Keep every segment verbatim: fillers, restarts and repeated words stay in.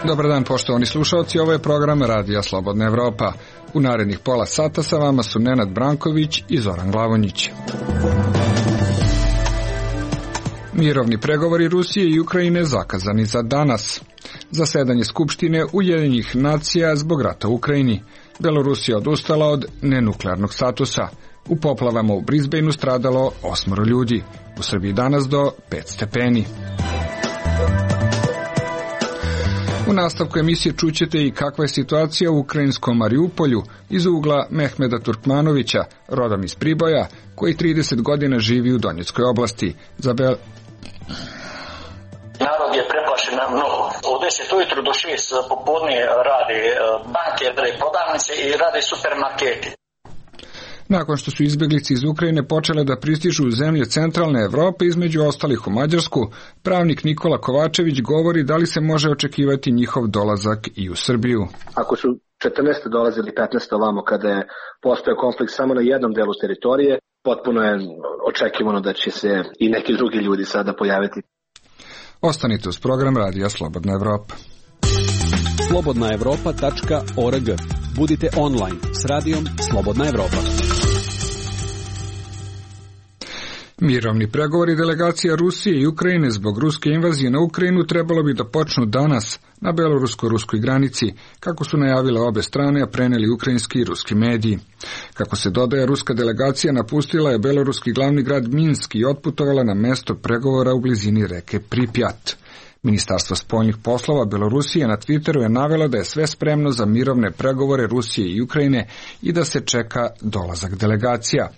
Dobar dan, poštovani slušalci, ovo je program Radija Slobodna Evropa. U narednih pola sata sa vama su Nenad Branković i Zoran Glavonjić. Mirovni pregovori Rusije i Ukrajine zakazani za danas. Zasedanje Skupštine Ujedinjenih nacija zbog rata u Ukrajini. Belorusija odustala od nenuklearnog statusa. U poplavama u Brisbaneu stradalo osmoro ljudi. U Srbiji danas do pet stepeni. U nastavku emisije čućete i kakva je situacija u ukrajinskom Mariupolju iz ugla Mehmeda Turkmanovića, rodom iz Priboja, koji trideset godina živi u Donjeckoj oblasti. Za Bel... Narod je preplašen mnogo. Od deset ujutru do šest popodne rade banke, rade prodavnice i rade supermarketi. Nakon što su izbjeglice iz Ukrajine počele da pristižu u zemlje centralne Evrope, između ostalih u Mađarsku, pravnik Nikola Kovačević govori da li se može očekivati njihov dolazak i u Srbiju. Ako su četrnaeste dolazili petnaeste ovamo kada je postojao konflikt samo na jednom delu teritorije, potpuno je očekivano da će se i neki drugi ljudi sada pojaviti. Ostanite uz program Radija Slobodna Evropa. slobodna evropa tačka org. Budite online s radijom Slobodna Evropa. Mirovni pregovori delegacija Rusije i Ukrajine zbog ruske invazije na Ukrajinu trebalo bi da počnu danas na belorusko-ruskoj granici, kako su najavile obe strane, a preneli ukrajinski i ruski mediji. Kako se dodaje, ruska delegacija napustila je beloruski glavni grad Minsk i otputovala na mesto pregovora u blizini reke Pripjat. Ministarstvo spoljnih poslova Belorusije na Twitteru je navelo da je sve spremno za mirovne pregovore Rusije i Ukrajine i da se čeka dolazak delegacija.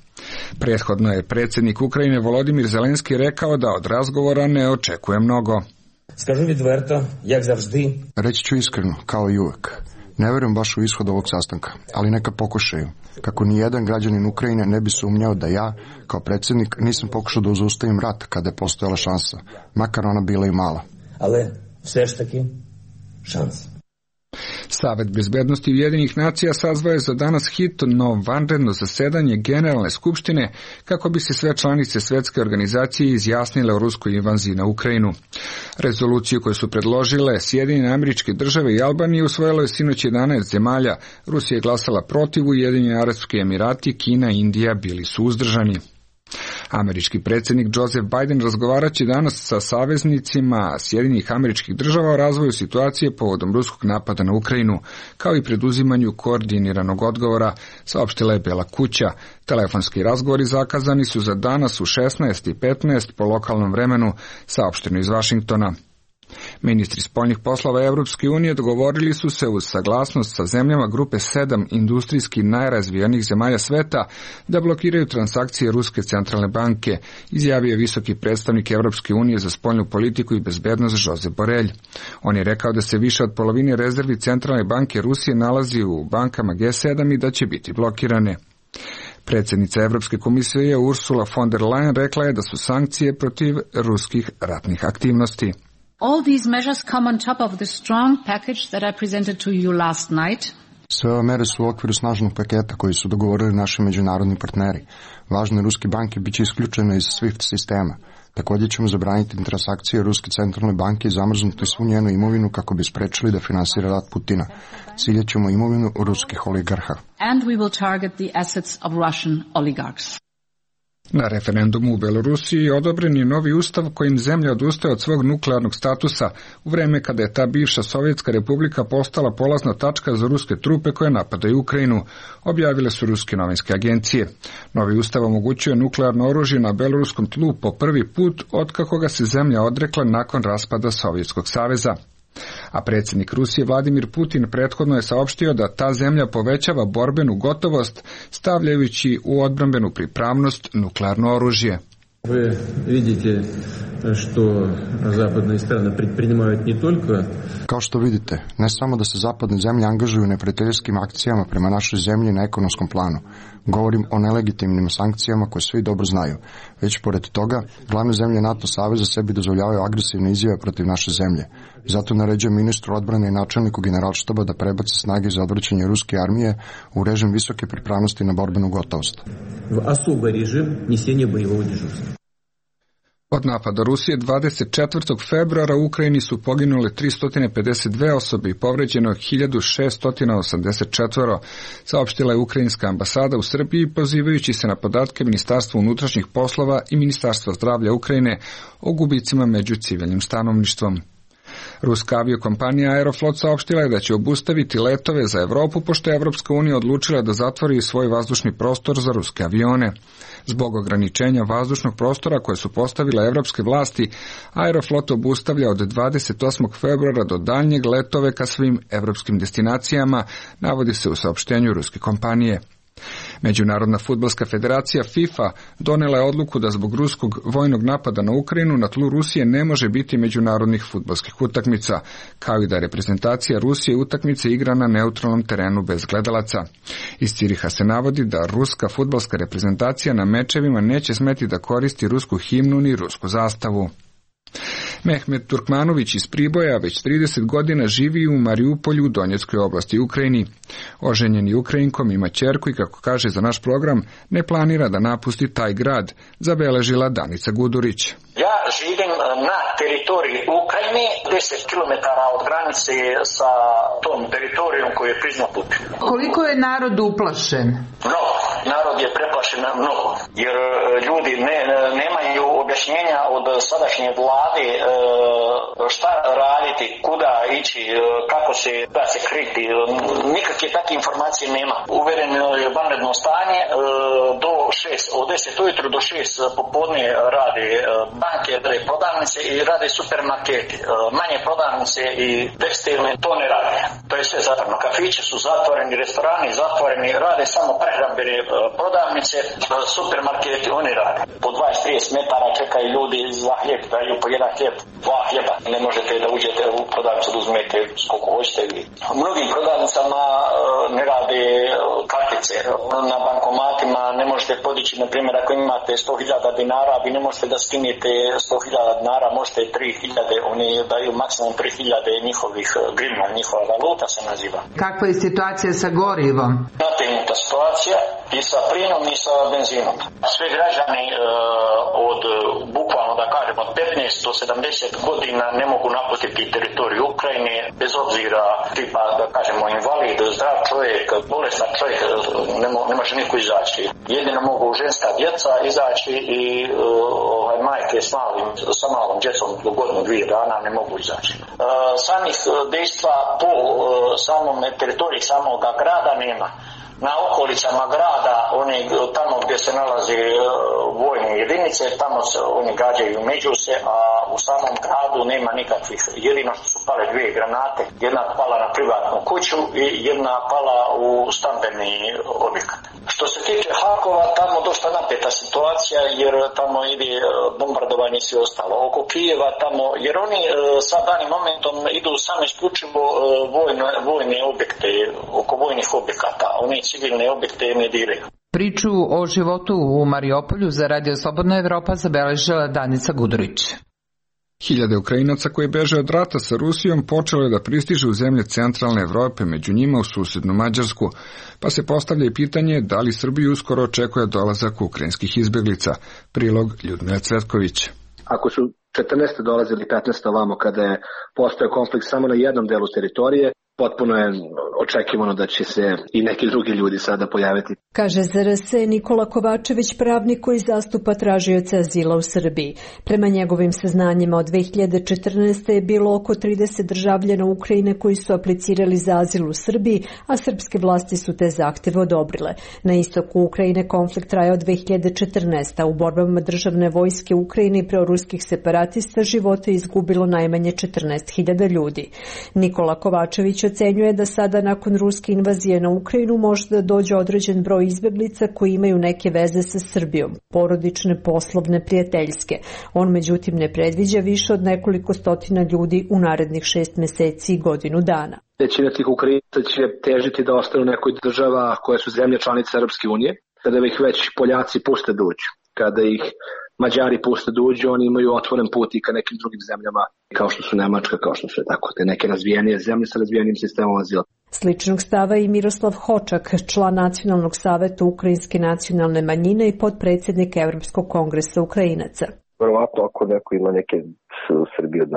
Prethodno je predsjednik Ukrajine Volodimir Zelenski rekao da od razgovora ne očekuje mnogo. Скажу відверто, як завжди. Reći ću iskreno, kao i uvek. Ne vjerujem baš u ishod ovog sastanka, ali neka pokušaju. Kako ni jedan građanin Ukrajine ne bi sumnjao da ja, kao predsjednik, nisam pokušao da zaustavim rat kada je postojala šansa, makar ona bila i mala. Але все ж таки шанс. Savet bezbednosti Ujedinjenih nacija sazvao je za danas hitno vanredno zasedanje Generalne skupštine kako bi se sve članice svjetske organizacije izjasnile o ruskoj invaziji na Ukrajinu. Rezoluciju koju su predložile Sjedinjene Američke Države i Albanije usvojilo je sinoć jedanaest zemalja. Rusija je glasala protiv, Ujedinjeni Arapski Emirati, Kina i Indija bili su uzdržani. Američki predsjednik Joseph Biden razgovarat će danas sa saveznicima Sjedinjenih Američkih Država o razvoju situacije povodom ruskog napada na Ukrajinu, kao i preduzimanju koordiniranog odgovora, saopštila je Bela kuća. Telefonski razgovori zakazani su za danas u šesnaest i petnaest po lokalnom vremenu, saopšteno iz Vašingtona. Ministri spoljnih poslova Evropske unije dogovorili su se uz saglasnost sa zemljama grupe sedam industrijski najrazvijenijih zemalja sveta da blokiraju transakcije Ruske centralne banke, izjavio je visoki predstavnik Evropske unije za spoljnu politiku i bezbednost Josep Borrell. On je rekao da se više od polovine rezervi centralne banke Rusije nalazi u bankama G sedam i da će biti blokirane. Predsjednica Evropske komisije Ursula von der Leyen rekla je da su sankcije protiv ruskih ratnih aktivnosti. All these measures come on top of the strong package that I presented to you last night. Sve ove mere su u okviru snažnog paketa koji su dogovorili naši međunarodni partneri. Važne ruske banke bit će isključene iz SWIFT sistema. Također ćemo zabraniti transakcije Ruske centralne banke i zamrznuti svu njenu imovinu kako bi sprečili da finansira rat Putina. Ciljet ćemo imovinu ruskih oligarha. And we will target the assets of Russian oligarchs. Na referendumu u Belorusiji odobren je novi ustav kojim zemlja odustaje od svog nuklearnog statusa u vreme kada je ta bivša Sovjetska republika postala polazna tačka za ruske trupe koje napadaju Ukrajinu, objavile su ruske novinske agencije. Novi ustav omogućuje nuklearno oružje na beloruskom tlu po prvi put otkako ga se zemlja odrekla nakon raspada Sovjetskog saveza. A predsjednik Rusije Vladimir Putin prethodno je saopštio da ta zemlja povećava borbenu gotovost stavljajući u odbrambenu pripravnost nuklearno oružje. Вы видите, что западные страны предпринимают не только... Kao što vidite, ne samo da se zapadne zemlje angažuju u neprijateljskim akcijama prema našoj zemlji na ekonomskom planu. Govorim o nelegitimnim sankcijama koje svi dobro znaju. Već pored toga, glavne zemlje NATO saveza sebi dozvoljavaju agresivne izjave protiv naše zemlje. Zato naređujem ministru odbrane i načelniku generalštaba da prebace snage za odvraćanje ruske armije u režim visoke pripravnosti na borbenu gotovost. В особый режим несения боевого дежурства. Od napada Rusije dvadeset četvrtog februara u Ukrajini su poginule tristo pedeset dve osobe i povređeno hiljadu šesto osamdeset četiri, saopštila je ukrajinska ambasada u Srbiji, pozivajući se na podatke Ministarstva unutrašnjih poslova i Ministarstva zdravlja Ukrajine o gubicima među civilnim stanovništvom. Ruska aviokompanija Aeroflot saopštila je da će obustaviti letove za Evropu, pošto je Evropska unija odlučila da zatvori svoj vazdušni prostor za ruske avione. Zbog ograničenja vazdušnog prostora koje su postavile evropske vlasti, Aeroflot obustavlja od dvadeset osmog februara do daljnjeg letove ka svim evropskim destinacijama, navodi se u saopštenju ruske kompanije. Međunarodna fudbalska federacija FIFA donela je odluku da zbog ruskog vojnog napada na Ukrajinu na tlu Rusije ne može biti međunarodnih fudbalskih utakmica, kao i da reprezentacija Rusije utakmice igra na neutralnom terenu bez gledalaca. Iz Ciriha se navodi da ruska fudbalska reprezentacija na mečevima neće smeti da koristi rusku himnu ni rusku zastavu. Mehmet Turkmanović iz Priboja već trideset godina živi u Mariupolju u Donjeckoj oblasti Ukrajini. Oženjeni Ukrajinkom ima ćerku i, kako kaže za naš program, ne planira da napusti taj grad, zabeležila Danica Gudurić. Ja živim na teritoriji Ukrajine, deset kilometara od granice sa tom teritorijom koju je priznao Putin. Koliko je narod uplašen? Mnogo. Narod je preplašen mnogo, jer ljudi ne, nemaju objašnjenja od sadašnje vlade šta raditi, kuda ići, kako se da se kriti. Nikakve takve informacije nema. Uvereno je vanredno stanje, do šest, od deset ujutro do šest popodne rade banke, rade prodavnice i rade supermarketi. Manje prodavnice i tekstilne to ne rade. To je sve zatvoreno. Kafići su zatvoreni, restorani zatvoreni, rade samo prehrambene prodavnice, supermarketi oni rade. Po dvadeset do trideset metara čekaju ljudi za hljeb, daju po jedan hljeb, dva hljeba. Ne možete da uđete u prodavnicu da uzmete koliko hoćete. U mnogim prodavnicama ne rade kartice. Na bankomatima ne možete podići, na primjer, ako imate sto hiljada dinara, vi ne možete da skinete sto hiljada dinara, možete tri hiljade, oni daju maksimum tri hiljade njihovih grivna, njihova valuta se naziva. Kakva je situacija sa gorivom? Nategnuta situacija i sa plinom i sa benzinom. Sve građani e, od, bukvalno da kažemo, od petnaest do sedamdeset godina ne mogu napustiti teritoriju Ukrajine, bez obzira tipa, da kažemo, invalid, zdrav čovjek, bolestan čovjek, ne, mo, ne može niko izaći. Jedino mogu ženska djeca izaći i e, ovaj, majke s malim, sa malom djecom do godinu, dvije dana ne mogu izaći. E, samih dejstva po e, samom teritoriji samog grada nema. Na okolicama grada, oni tamo gdje se nalaze vojne jedinice, tamo se oni gađaju među se, a u samom gradu nema nikakvih. Jedino što su pale dvije granate, jedna pala na privatnu kuću i jedna pala u stambeni objekat. Što se tiče Harkova, tamo dosta napeta situacija, jer tamo ide bombardovanje i sve ostalo. Oko Kijeva tamo, jer oni sa danim momentom idu samo isključivo vojne, vojne objekte, oko vojnih objekata. Oni civilne objekte ne diraju. Priču o životu u Mariupolju za Radio Slobodna Evropa zabeležila Danica Gudurić. Hiljade Ukrajinaca koji beže od rata sa Rusijom počelo je da pristižu u zemlje centralne Evrope, među njima u susednu Mađarsku, pa se postavlja i pitanje da li Srbiju uskoro očekuje dolazak ukrajinskih izbeglica. Prilog Ljudmila Cvetković. Ako su četrnaeste dolazili petnaeste ovamo kada je postojao konflikt samo na jednom delu teritorije, potpuno je očekivano da će se i neki drugi ljudi sada pojaviti. Kaže Z R S Nikola Kovačević, pravnik koji zastupa tražioce azila u Srbiji. Prema njegovim saznanjima od dve hiljade četrnaeste. je bilo oko trideset državljana Ukrajine koji su aplicirali za azil u Srbiji, a srpske vlasti su te zahteve odobrile. Na istoku Ukrajine konflikt traje od dve hiljade četrnaeste. U borbama državne vojske Ukrajine i proruskih separatista živote izgubilo najmanje četrnaest hiljada ljudi. Nikola Kovačević ocenjuje da sada nakon ruske invazije na Ukrajinu može da dođe određen broj izbeglica koji imaju neke veze sa Srbijom, porodične, poslovne, prijateljske. On međutim ne predviđa više od nekoliko stotina ljudi u narednih šest meseci i godinu dana. Većina tih Ukrajinaca će težiti da ostanu u nekoj država koje su zemlje članice Europske unije, kada ih već Poljaci puste da uđu. Kada ih Mađari puste da uđu, oni imaju otvoren put i ka nekim drugim zemljama, kao što su Nemačka, kao što su tako te neke razvijenije zemlje sa razvijenim sistemom azila. Sličnog stava i Miroslav Hočak, član Nacionalnog saveta Ukrajinske nacionalne manjine i potpredsjednik Evropskog kongresa Ukrajinaca. Verovatno ako neko ima neke u Srbiji od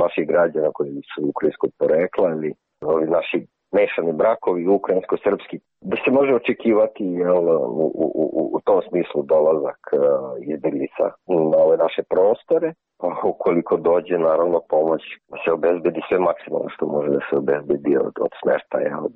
naših građana koji su ukrajinskog porekla ili ovi naši mešani brakovi ukrajinsko-srpski, da se može očekivati jel, u, u, u, u tom smislu dolazak uh, izbeglica na ove naše prostore. Ukoliko dođe, naravno, pomoć da se obezbedi sve maksimalno što može da se obezbedi od, od smeštaja, od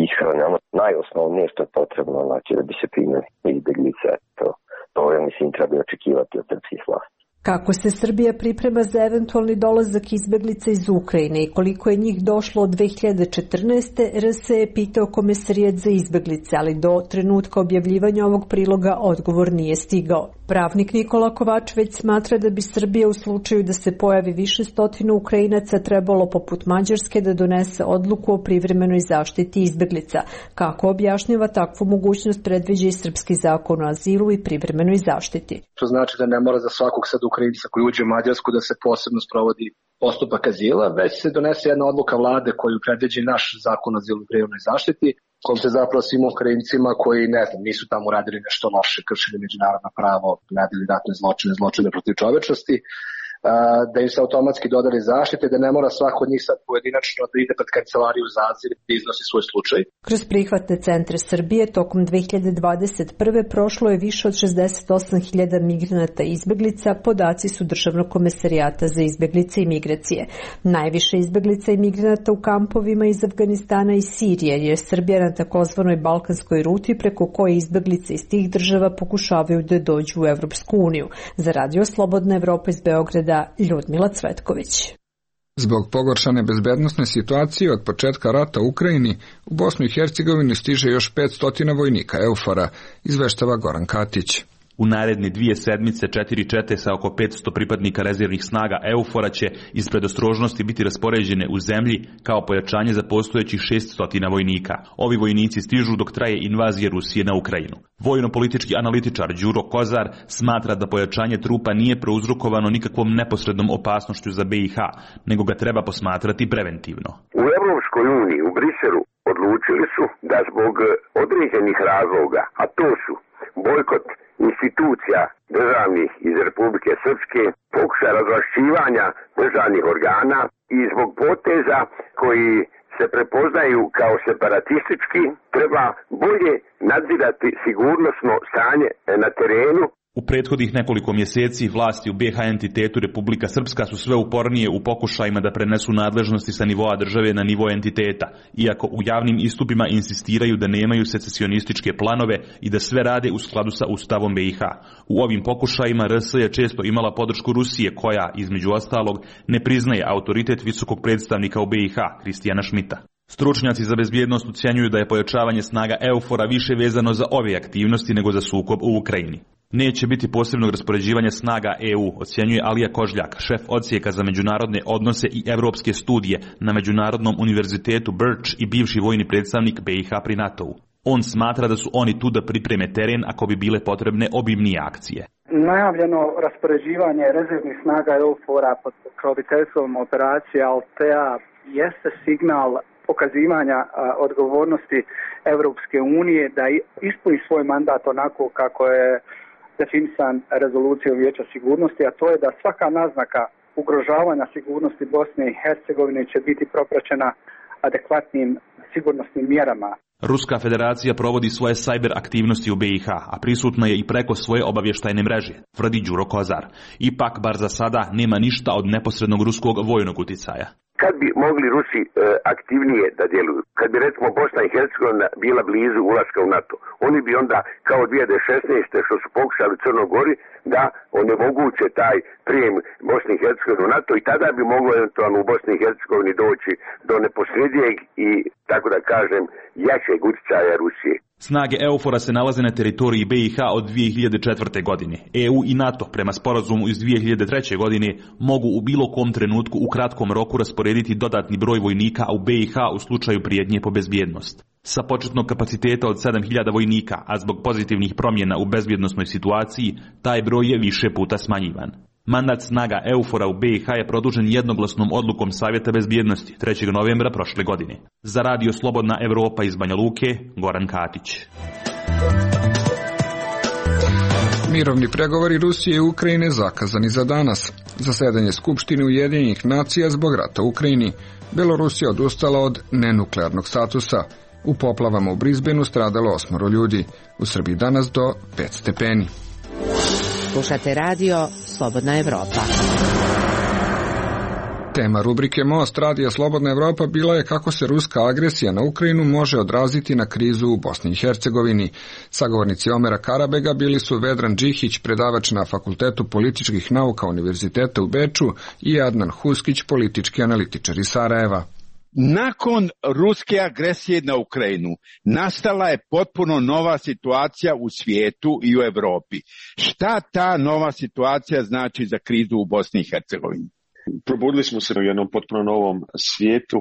ishrane, ono najosnovnije što je potrebno, znači da bi se primili izbeglice. To, to je, mislim, treba očekivati od srpskih vlasti. Kako se Srbija priprema za eventualni dolazak izbeglica iz Ukrajine i koliko je njih došlo od dve hiljade četrnaeste. R S je pitao Komesarijat za izbeglice, ali do trenutka objavljivanja ovog priloga odgovor nije stigao. Pravnik Nikola Kovačević smatra da bi Srbija u slučaju da se pojavi više stotina Ukrajinaca trebalo poput Mađarske da donese odluku o privremenoj zaštiti izbeglica. Kako objašnjava takvu mogućnost predviđa i srpski zakon o azilu i privremenoj zaštiti. To znači da ne mora za svakog sad Ukrajinca koji uđe u Mađarsku da se posebno sprovodi postupak azila, već se donese jedna odluka vlade koju predviđa naš zakon o azilu i privremenoj zaštiti, kojom se zapravo svim Ukrajincima koji, ne znam, nisu tamo uradili nešto loše, kršili međunarodno pravo, radili ratne zločine, zločine protiv čovečnosti, da im se automatski dodali zaštite, da ne mora svako od njih sad pojedinačno da ide pred kancelariju za azil i iznosi svoj slučaj. Kroz prihvatne centre Srbije tokom dve hiljade dvadeset prve. prošlo je više od šezdeset osam hiljada migranata i izbeglica, podaci su Državnog komesarijata za izbeglice i migracije. Najviše izbeglica i migranata u kampovima iz Afganistana i Sirije, jer Srbija na takozvanoj balkanskoj ruti preko koje izbeglice iz tih država pokušavaju da dođu u Evropsku uniju. Za Radio Slobodna Evropa iz Beograda, Ljudmila Cvetković. Zbog pogoršane bezbednosne situacije od početka rata u Ukrajini, u Bosnu i Hercegovini stiže još petsto vojnika EUFOR-a, izveštava Goran Katić. U naredne dvije sedmice četiri čete sa oko petsto pripadnika rezervnih snaga EUFOR-a će iz predostrožnosti biti raspoređene u zemlji kao pojačanje za postojećih šeststo vojnika. Ovi vojnici stižu dok traje invazija Rusije na Ukrajinu. Vojno-politički analitičar Đuro Kozar smatra da pojačanje trupa nije prouzrokovano nikakvom neposrednom opasnošću za B i H, nego ga treba posmatrati preventivno. U Evropskoj uniji, u Briselu, odlučili su da zbog određenih razloga, a to su bojkot institucija državnih iz Republike Srpske, pokušaj razvlašćivanja državnih organa i zbog poteza koji se prepoznaju kao separatistički, treba bolje nadzirati sigurnosno stanje na terenu. U prethodnih nekoliko mjeseci vlasti u B H entitetu Republika Srpska su sve upornije u pokušajima da prenesu nadležnosti sa nivoa države na nivo entiteta, iako u javnim istupima insistiraju da nemaju secesionističke planove i da sve rade u skladu sa Ustavom B i H. U ovim pokušajima R S je često imala podršku Rusije koja, između ostalog, ne priznaje autoritet visokog predstavnika u B i H, Kristijana Šmita. Stručnjaci za bezbjednost ocjenjuju da je pojačavanje snaga EUFOR-a više vezano za ove aktivnosti nego za sukob u Ukrajini. Neće biti posebnog raspoređivanja snaga E U, ocjenjuje Alija Kožljak, šef odsjeka za međunarodne odnose i evropske studije na Međunarodnom univerzitetu Birch i bivši vojni predstavnik B i H pri NATO-u. On smatra da su oni tu da pripreme teren ako bi bile potrebne obimnije akcije. Najavljeno raspoređivanje rezervnih snaga EUFOR-a pod pokroviteljstvom operacije Altea jeste signal pokazivanja a, odgovornosti Evropske unije da ispuni svoj mandat onako kako je definisan rezolucijom Vijeća sigurnosti, a to je da svaka naznaka ugrožavanja sigurnosti Bosne i Hercegovine će biti propraćena adekvatnim sigurnosnim mjerama. Ruska federacija provodi svoje sajber aktivnosti u B i H, a prisutna je i preko svoje obavještajne mreže, tvrdi Đuro Kozar. Ipak, bar za sada, nema ništa od neposrednog ruskog vojnog uticaja. Kad bi mogli Rusi e, aktivnije da djeluju, kad bi recimo Bosna i Hercegovina bila blizu ulaska u NATO, oni bi onda kao dvije hiljade šesnaeste što su pokušali u Crnoj Gori da onemoguće taj prijem Bosne i Hercegovine u NATO i tada bi moglo eventualno u Bosni i Hercegovini doći do neposrednijeg i, tako da kažem, jačeg uticaja Rusije. Snage EUFOR-a se nalaze na teritoriji B i H od dvije hiljade četvrte. godine. E U i NATO, prema sporazumu iz dvije hiljade treće. godine, mogu u bilo kom trenutku u kratkom roku rasporediti dodatni broj vojnika u B i H u slučaju prijetnje po bezbjednost. Sa početnog kapaciteta od sedam hiljada vojnika, a zbog pozitivnih promjena u bezbjednosnoj situaciji, taj broj je više puta smanjivan. Mandat snaga EUFOR-a u B i H je produžen jednoglasnom odlukom Savjeta bezbjednosti trećeg novembra prošle godine. Za Radio Slobodna Evropa iz Banja Luke, Goran Katić. Mirovni pregovori Rusije i Ukrajine zakazani za danas. Zasedanje Skupštine Ujedinjenih nacija zbog rata u Ukrajini. Belorusija odustala od nenuklearnog statusa. U poplavama u Brisbaneu stradalo osmoro ljudi. U Srbiji danas do pet stepeni. Slušate radio Slobodna Evropa. Tema rubrike Most radija Slobodna Evropa bila je kako se ruska agresija na Ukrajinu može odraziti na krizu u Bosni i Hercegovini. Sagovornici Omera Karabega bili su Vedran Džihić, predavač na Fakultetu političkih nauka Univerziteta u Beču, i Adnan Huskić, politički analitičar iz Sarajeva. Nakon ruske agresije na Ukrajinu nastala je potpuno nova situacija u svijetu i u Evropi. Šta ta nova situacija znači za krizu u Bosni i Hercegovini? Probudili smo se u jednom potpuno novom svijetu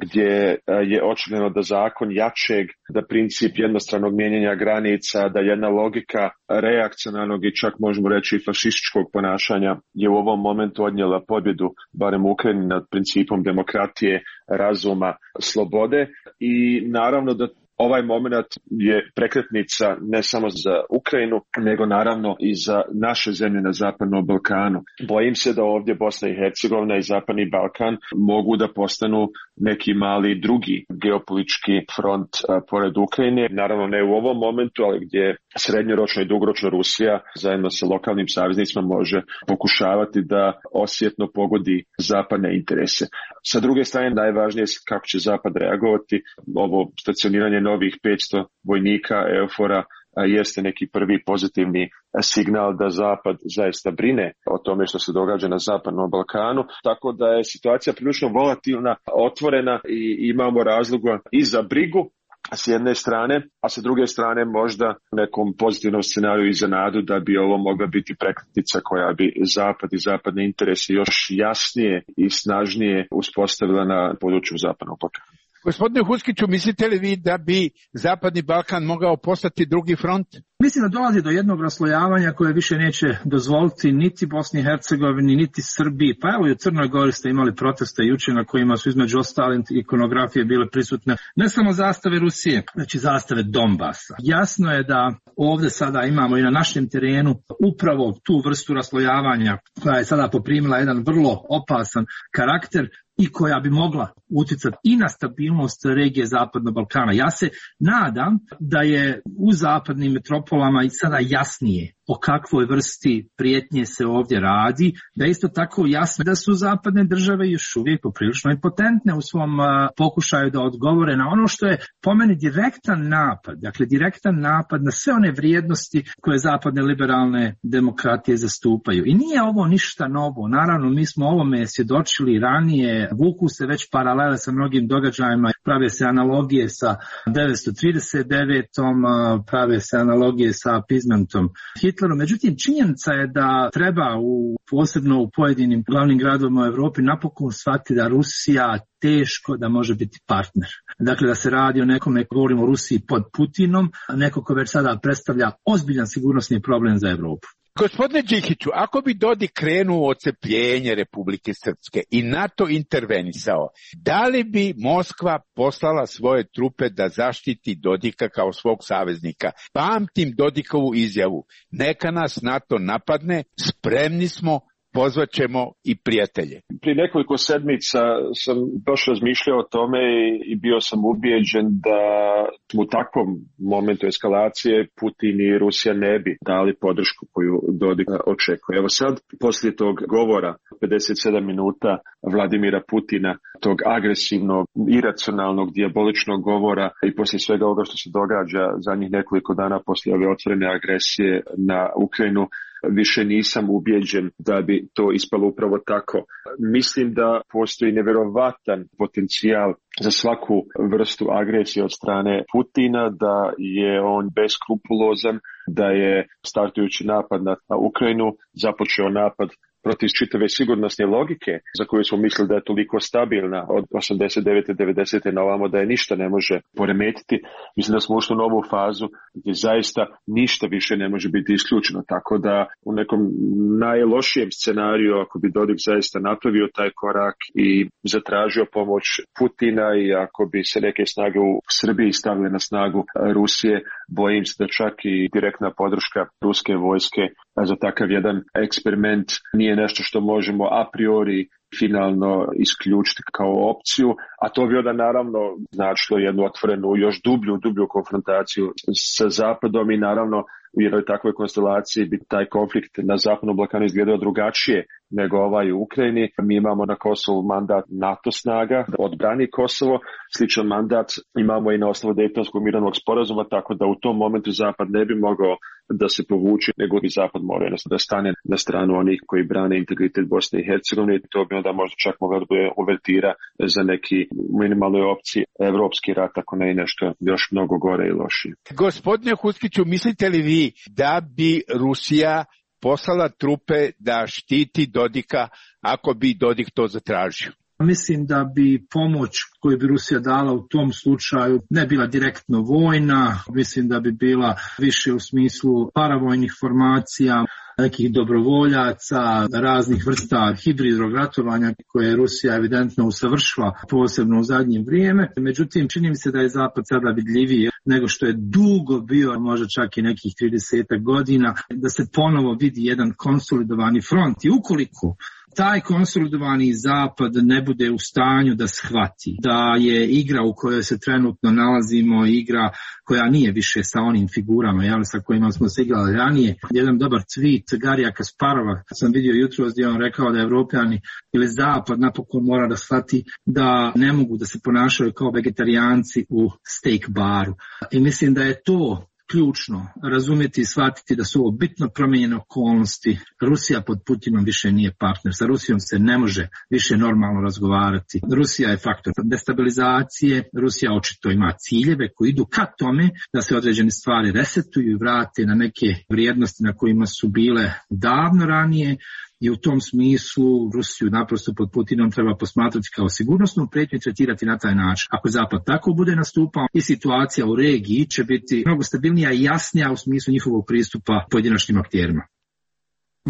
gdje je očigledno da zakon jačeg, da princip jednostranog mijenjanja granica, da jedna logika reakcionarnog i čak možemo reći fašističkog ponašanja je u ovom momentu odnijela pobjedu, barem u Ukrajini, nad principom demokratije, razuma, slobode, i naravno da ovaj moment je prekretnica ne samo za Ukrajinu, nego naravno i za naše zemlje na Zapadnom Balkanu. Bojim se da ovdje Bosna i Hercegovina i Zapadni Balkan mogu da postanu neki mali drugi geopolitički front a, pored Ukrajine. Naravno ne u ovom momentu, ali gdje srednjoročno i dugoročno Rusija zajedno sa lokalnim saveznicima može pokušavati da osjetno pogodi zapadne interese. Sa druge strane, najvažnije je kako će Zapad reagovati. Ovo stacioniranje novih petsto vojnika EUFOR-a jeste neki prvi pozitivni signal da Zapad zaista brine o tome što se događa na Zapadnom Balkanu, tako da je situacija prilično volatilna, otvorena i imamo razloga i za brigu s jedne strane, a sa druge strane možda nekom pozitivnom scenariju i za nadu da bi ovo mogla biti prekretnica koja bi Zapad i zapadne interese još jasnije i snažnije uspostavila na području Zapadnog Balkana. Gospodine Huskiću, mislite li vi da bi Zapadni Balkan mogao postati drugi front? Mislim da dolazi do jednog raslojavanja koje više neće dozvoliti niti Bosni i Hercegovini, niti Srbiji. Pa evo i u Crnoj Gori ste imali proteste juče na kojima su između ostalih ikonografije bile prisutne ne samo zastave Rusije, već i zastave Donbasa. Jasno je da ovdje sada imamo i na našem terenu upravo tu vrstu raslojavanja koja je sada poprimila jedan vrlo opasan karakter i koja bi mogla utjecati i na stabilnost regije Zapadnog Balkana. Ja se nadam da je u zapadnim metropolama i sada jasnije o kakvoj vrsti prijetnje se ovdje radi, da je isto tako jasno da su zapadne države još uvijek poprilično impotentne u svom uh, pokušaju da odgovore na ono što je po meni direktan napad, dakle direktan napad na sve one vrijednosti koje zapadne liberalne demokratije zastupaju. I nije ovo ništa novo, naravno mi smo ovome svjedočili ranije, vuku se već paralele sa mnogim događajima, prave se analogije sa devetsto trideset devetom, prave se analogije sa appeasementom Hitleru. Međutim, činjenica je da treba u, posebno u pojedinim glavnim gradovima u Europi napokon shvatiti da Rusija teško da može biti partner. Dakle, da se radi o nekome, govorimo o Rusiji pod Putinom, neko ko već sada predstavlja ozbiljan sigurnosni problem za Europu. Gospodine Džihiću, ako bi Dodik krenuo ocepljenje Republike Srpske i NATO intervenisao, da li bi Moskva poslala svoje trupe da zaštiti Dodika kao svog saveznika? Pamtim Dodikovu izjavu, neka nas NATO napadne, spremni smo, pozvaćemo i prijatelje. Prije nekoliko sedmica sam baš razmišljao o tome i bio sam ubijeđen da u takvom momentu eskalacije Putin i Rusija ne bi dali podršku koju Dodik očekuje. Evo sad, poslije tog govora pedeset sedam minuta Vladimira Putina, tog agresivnog, iracionalnog, dijaboličnog govora i poslije svega ovoga što se događa zadnjih nekoliko dana poslije ove otvorene agresije na Ukrajinu, više nisam ubijeđen da bi to ispalo upravo tako. Mislim da postoji nevjerovatan potencijal za svaku vrstu agresije od strane Putina, da je on beskrupulozan, da je startujući napad na Ukrajinu započeo napad protiv čitave sigurnosne logike za koju smo mislili da je toliko stabilna od osamdeset devete devedesete na ovamo da je ništa ne može poremetiti. Mislim da smo ušli u novu fazu gdje zaista ništa više ne može biti isključeno. Tako da u nekom najlošijem scenariju, ako bi Dodik zaista napravio taj korak i zatražio pomoć Putina i ako bi se neke snage u Srbiji stavile na snagu Rusije, bojim se da čak i direktna podrška ruske vojske za takav jedan eksperiment nije nešto što možemo a priori finalno isključiti kao opciju, a to bi onda naravno značilo jednu otvorenu, još dublju, dublju konfrontaciju sa Zapadom i naravno u jednoj takvoj konstelaciji bi taj konflikt na Zapadnom Balkanu izgledao drugačije nego ovaj u Ukrajini. Mi imamo na Kosovu mandat NATO snaga, odbrani Kosovo, sličan mandat imamo i na osnovu Dejtonskog mirovnog sporazuma, tako da u tom momentu Zapad ne bi mogao da se povuče, nego bi Zapad morao da stane na stranu onih koji brane integritet Bosne i Hercegovine. To bi onda možda čak moglo da bude uvertira za neki minimalnoj opciji evropski rat, ako ne i nešto još mnogo gore i lošije. Gospodine Huskiću, mislite li vi da bi Rusija poslala trupe da štiti Dodika ako bi Dodik to zatražio? Mislim da bi pomoć koju bi Rusija dala u tom slučaju ne bila direktno vojna, mislim da bi bila više u smislu paravojnih formacija, nekih dobrovoljaca, raznih vrsta hibridnog ratovanja koje Rusija evidentno usavršila posebno u zadnje vrijeme. Međutim, čini mi se da je Zapad sada vidljiviji nego što je dugo bio, možda čak i nekih trideset godina, da se ponovo vidi jedan konsolidovani front. I ukoliko taj konsolidovani Zapad ne bude u stanju da shvati da je igra u kojoj se trenutno nalazimo igra koja nije više sa onim figurama, jel, sa kojima smo se igrali ranije. Jedan dobar tweet Garija Kasparova sam vidio jutros gdje on rekao da Evropljani ili Zapad napokon mora da shvati da ne mogu da se ponašaju kao vegetarijanci u steak baru. I mislim da je to ključno razumjeti i shvatiti da su ovo bitno promijenjene okolnosti. Rusija pod Putinom više nije partner. Sa Rusijom se ne može više normalno razgovarati. Rusija je faktor destabilizacije. Rusija očito ima ciljeve koji idu ka tome da se određene stvari resetuju i vrate na neke vrijednosti na kojima su bile davno ranije. I u tom smislu Rusiju naprosto pod Putinom treba posmatrati kao sigurnosnu prijetnju i tretirati na taj način. Ako Zapad tako bude nastupao, i situacija u regiji će biti mnogo stabilnija i jasnija u smislu njihovog pristupa pojedinačnim akterima.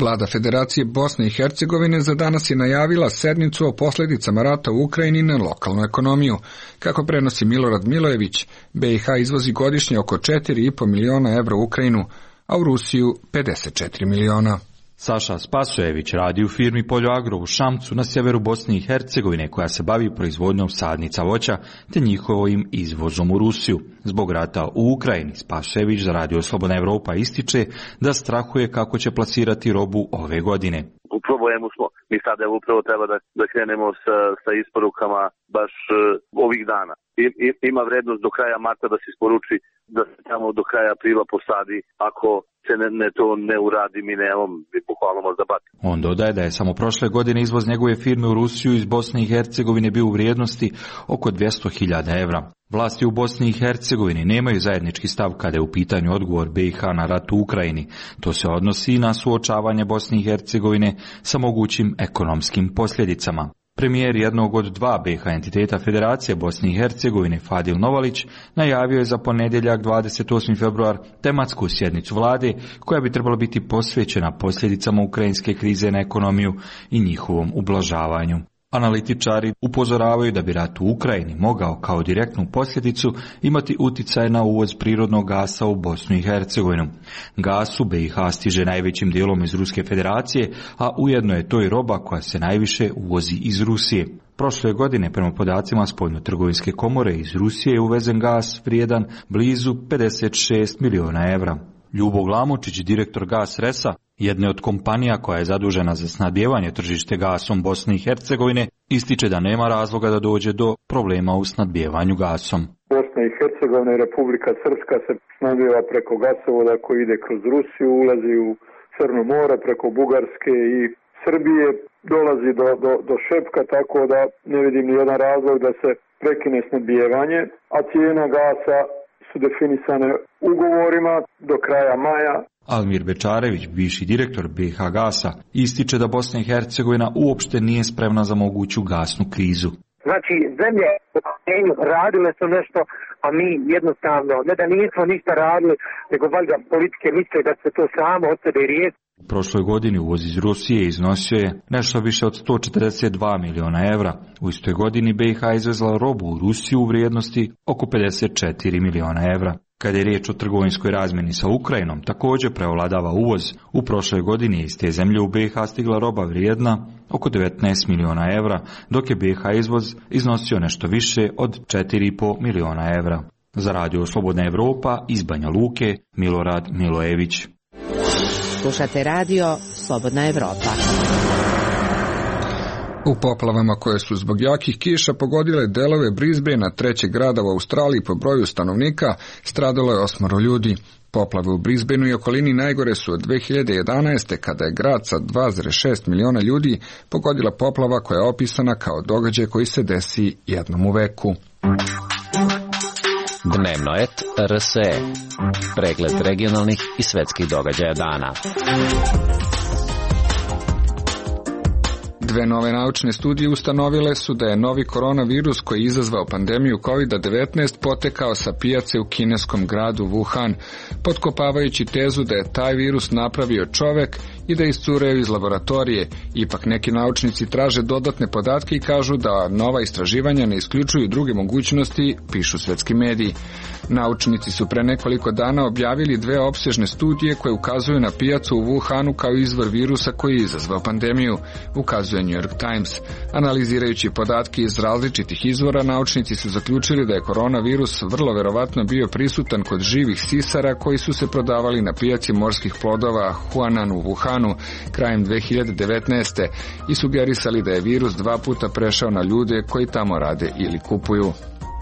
Vlada Federacije Bosne i Hercegovine za danas je najavila sednicu o posljedicama rata u Ukrajini na lokalnu ekonomiju. Kako prenosi Milorad Milojević, B i H izvozi godišnje oko četiri i po miliona evra u Ukrajinu, a u Rusiju pedeset četiri miliona. Saša Spasojević radi u firmi Poljoagro u Šamcu na sjeveru Bosne i Hercegovine koja se bavi proizvodnjom sadnica voća te njihovim izvozom u Rusiju. Zbog rata u Ukrajini Spasojević za Radio Slobodna Evropa ističe da strahuje kako će plasirati robu ove godine. U problemu smo. Mi sada upravo treba da, da krenemo sa, sa isporukama baš uh, ovih dana. I, i, ima vrednost do kraja marta da se isporuči, da se tamo do kraja aprila posadi. Ako se ne, ne to ne uradi, mi nemamo, mi bukvalno možda bati. On dodaje da je samo prošle godine izvoz njegove firme u Rusiju iz Bosne i Hercegovine bio u vrijednosti oko dvjesto hiljada evra. Vlasti u Bosni i Hercegovini nemaju zajednički stav kada je u pitanju odgovor B i H na rat u Ukrajini. To se odnosi na suočavanje Bosne i Hercegovine sa mogućim ekonomskim posljedicama. Premijer jednog od dva B i H entiteta Federacije Bosne i Hercegovine, Fadil Novalić, najavio je za ponedjeljak dvadeset osmi februar tematsku sjednicu vlade koja bi trebala biti posvećena posljedicama ukrajinske krize na ekonomiju i njihovom ublažavanju. Analitičari upozoravaju da bi rat u Ukrajini mogao kao direktnu posljedicu imati utjecaj na uvoz prirodnog gasa u Bosnu i Hercegovinu. Gas u B i H stiže najvećim dijelom iz Ruske federacije, a ujedno je to i roba koja se najviše uvozi iz Rusije. Prošle godine, prema podacima Spoljno-trgovinske komore, iz Rusije je uvezen gas vrijedan blizu pedeset šest miliona evra. Ljubo Glamočić, direktor Gas Resa, jedne od kompanija koja je zadužena za snabdijevanje tržište gasom Bosne i Hercegovine, ističe da nema razloga da dođe do problema u snabdijevanju gasom. Bosna i Hercegovina i Republika Srpska se snabdijeva preko gasovoda koji ide kroz Rusiju, ulazi u Crno more preko Bugarske i Srbije, dolazi do, do, do Šepka, tako da ne vidim ni jedan razlog da se prekine snabdijevanje, a cijena gasa su definisane ugovorima do kraja maja Almir Bečarević, bivši direktor B H Gasa, ističe da Bosna i Hercegovina uopšte nije spremna za moguću gasnu krizu. Znači, zemlje u okruženju radile su nešto, a mi jednostavno, ne da nismo ništa radili, nego valjda politike misle da se to samo od sebe riješi. U prošloj godini uvoz iz Rusije iznosio je nešto više od sto četrdeset dva miliona evra. U istoj godini B H izvezla robu u Rusiju u vrijednosti oko pedeset četiri miliona evra. Kada je riječ o trgovinskoj razmjeni sa Ukrajinom, također preovladava uvoz. U prošloj godini iz te zemlje u B H stigla roba vrijedna oko devetnaest miliona evra, dok je B H izvoz iznosio nešto više od četiri i po miliona evra. Za Radio Slobodna Evropa iz Banja Luke, Milorad Milojević. Slušate Radio Slobodna Evropa. U poplavama koje su zbog jakih kiša pogodile delove Brisbanea, trećeg grada u Australiji po broju stanovnika, stradalo je osmoro ljudi. Poplave u Brisbaneu i okolini najgore su od dve hiljade jedanaeste. kada je grad sa dva zarez šest miliona ljudi pogodila poplava koja je opisana kao događaj koji se desi jednom u veku. Dnevnoet R S E. Pregled regionalnih i svetskih događaja dana. Dve nove naučne studije ustanovile su da je novi koronavirus koji je izazvao pandemiju kovid devetnaest potekao sa pijace u kineskom gradu Wuhan, potkopavajući tezu da je taj virus napravio čovek i da je iscureo iz laboratorije. Ipak neki naučnici traže dodatne podatke i kažu da nova istraživanja ne isključuju druge mogućnosti, pišu svetski mediji. Naučnici su pre nekoliko dana objavili dve opsežne studije koje ukazuju na pijacu u Wuhanu kao izvor virusa koji je izazvao pandemiju, ukazuje New York Times. Analizirajući podatke iz različitih izvora, naučnici su zaključili da je koronavirus vrlo verovatno bio prisutan kod živih sisara koji su se prodavali na pijaci morskih plodova Huanan u Wuhanu krajem dve hiljade devetnaeste. i sugerisali da je virus dva puta prešao na ljude koji tamo rade ili kupuju.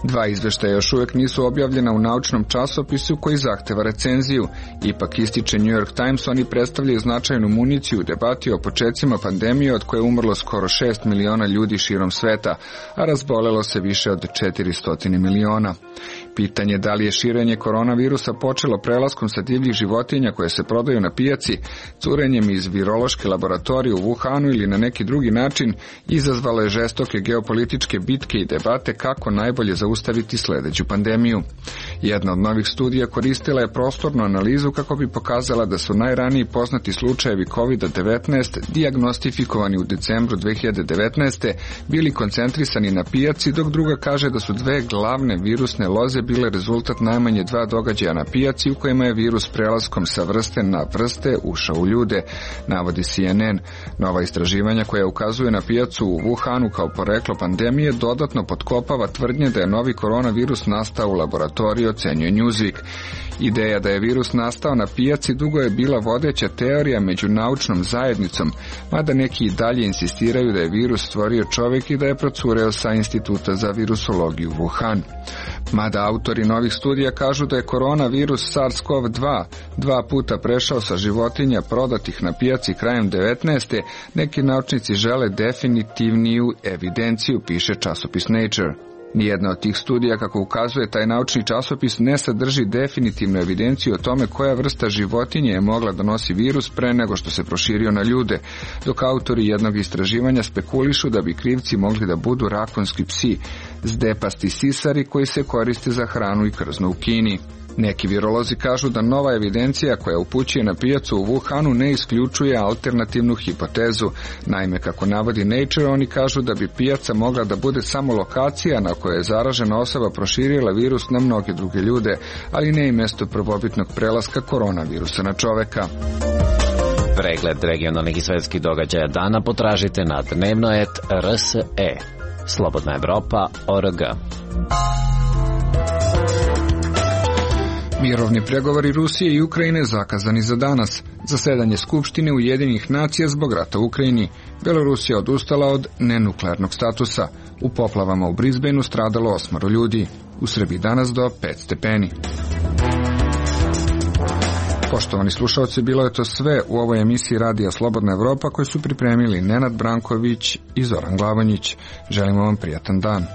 Dva izveštaja još uvijek nisu objavljena u naučnom časopisu koji zahteva recenziju. Ipak ističe New York Times, oni predstavljaju značajnu municiju u debati o počecima pandemije od koje je umrlo skoro šest miliona ljudi širom sveta, a razbolelo se više od četiristo miliona. Pitanje da li je širenje koronavirusa počelo prelaskom sa divljih životinja koje se prodaju na pijaci, curenjem iz virološke laboratorije u Wuhanu ili na neki drugi način, izazvalo je žestoke geopolitičke bitke i debate kako najbolje zaustaviti sledeću pandemiju. Jedna od novih studija koristila je prostornu analizu kako bi pokazala da su najraniji poznati slučajevi kovid devetnaest dijagnostifikovani u decembru dve hiljade devetnaeste. bili koncentrisani na pijaci, dok druga kaže da su dve glavne virusne loze bile rezultat najmanje dva događaja na pijaci u kojima je virus prelaskom sa vrste na vrste ušao u ljude, navodi C N N. Nova istraživanja koja ukazuje na pijacu u Wuhanu kao poreklo pandemije dodatno potkopava tvrdnje da je novi koronavirus nastao u laboratoriji, ocenjuje Newsweek. Ideja da je virus nastao na pijaci dugo je bila vodeća teorija među naučnom zajednicom, mada neki i dalje insistiraju da je virus stvorio čovjek i da je procureo sa Instituta za virusologiju Wuhan. Mada autori novih studija kažu da je koronavirus SARS-CoV dva dva puta prešao sa životinja prodatih na pijaci krajem devetnaeste. neki naučnici žele definitivniju evidenciju, piše časopis Nature. Nijedna od tih studija, kako ukazuje taj naučni časopis, ne sadrži definitivnu evidenciju o tome koja vrsta životinje je mogla da nosi virus pre nego što se proširio na ljude, dok autori jednog istraživanja spekulišu da bi krivci mogli da budu rakonski psi, zdepasti sisari koji se koriste za hranu i krzno u Kini. Neki virolozi kažu da nova evidencija koja upućuje na pijacu u Wuhanu ne isključuje alternativnu hipotezu. Naime, kako navodi Nature, oni kažu da bi pijaca mogla da bude samo lokacija na kojoj je zaražena osoba proširila virus na mnoge druge ljude, ali ne i mesto prvobitnog prelaska koronavirusa na čoveka. Pregled regionalnih i svetskih događaja dana potražite na dnevnoet R S E. Slobodna Evropa org. Mirovni pregovori Rusije i Ukrajine zakazani za danas. Zasedanje Skupštine Ujedinjenih nacija zbog rata u Ukrajini. Belorusija odustala od nenuklearnog statusa. U poplavama u Brisbaneu stradalo osmoro ljudi. U Srbiji danas do pet stepeni. Poštovani slušalci, bilo je to sve u ovoj emisiji Radija Slobodna Evropa koju su pripremili Nenad Branković i Zoran Glavonjić. Želimo vam prijatan dan.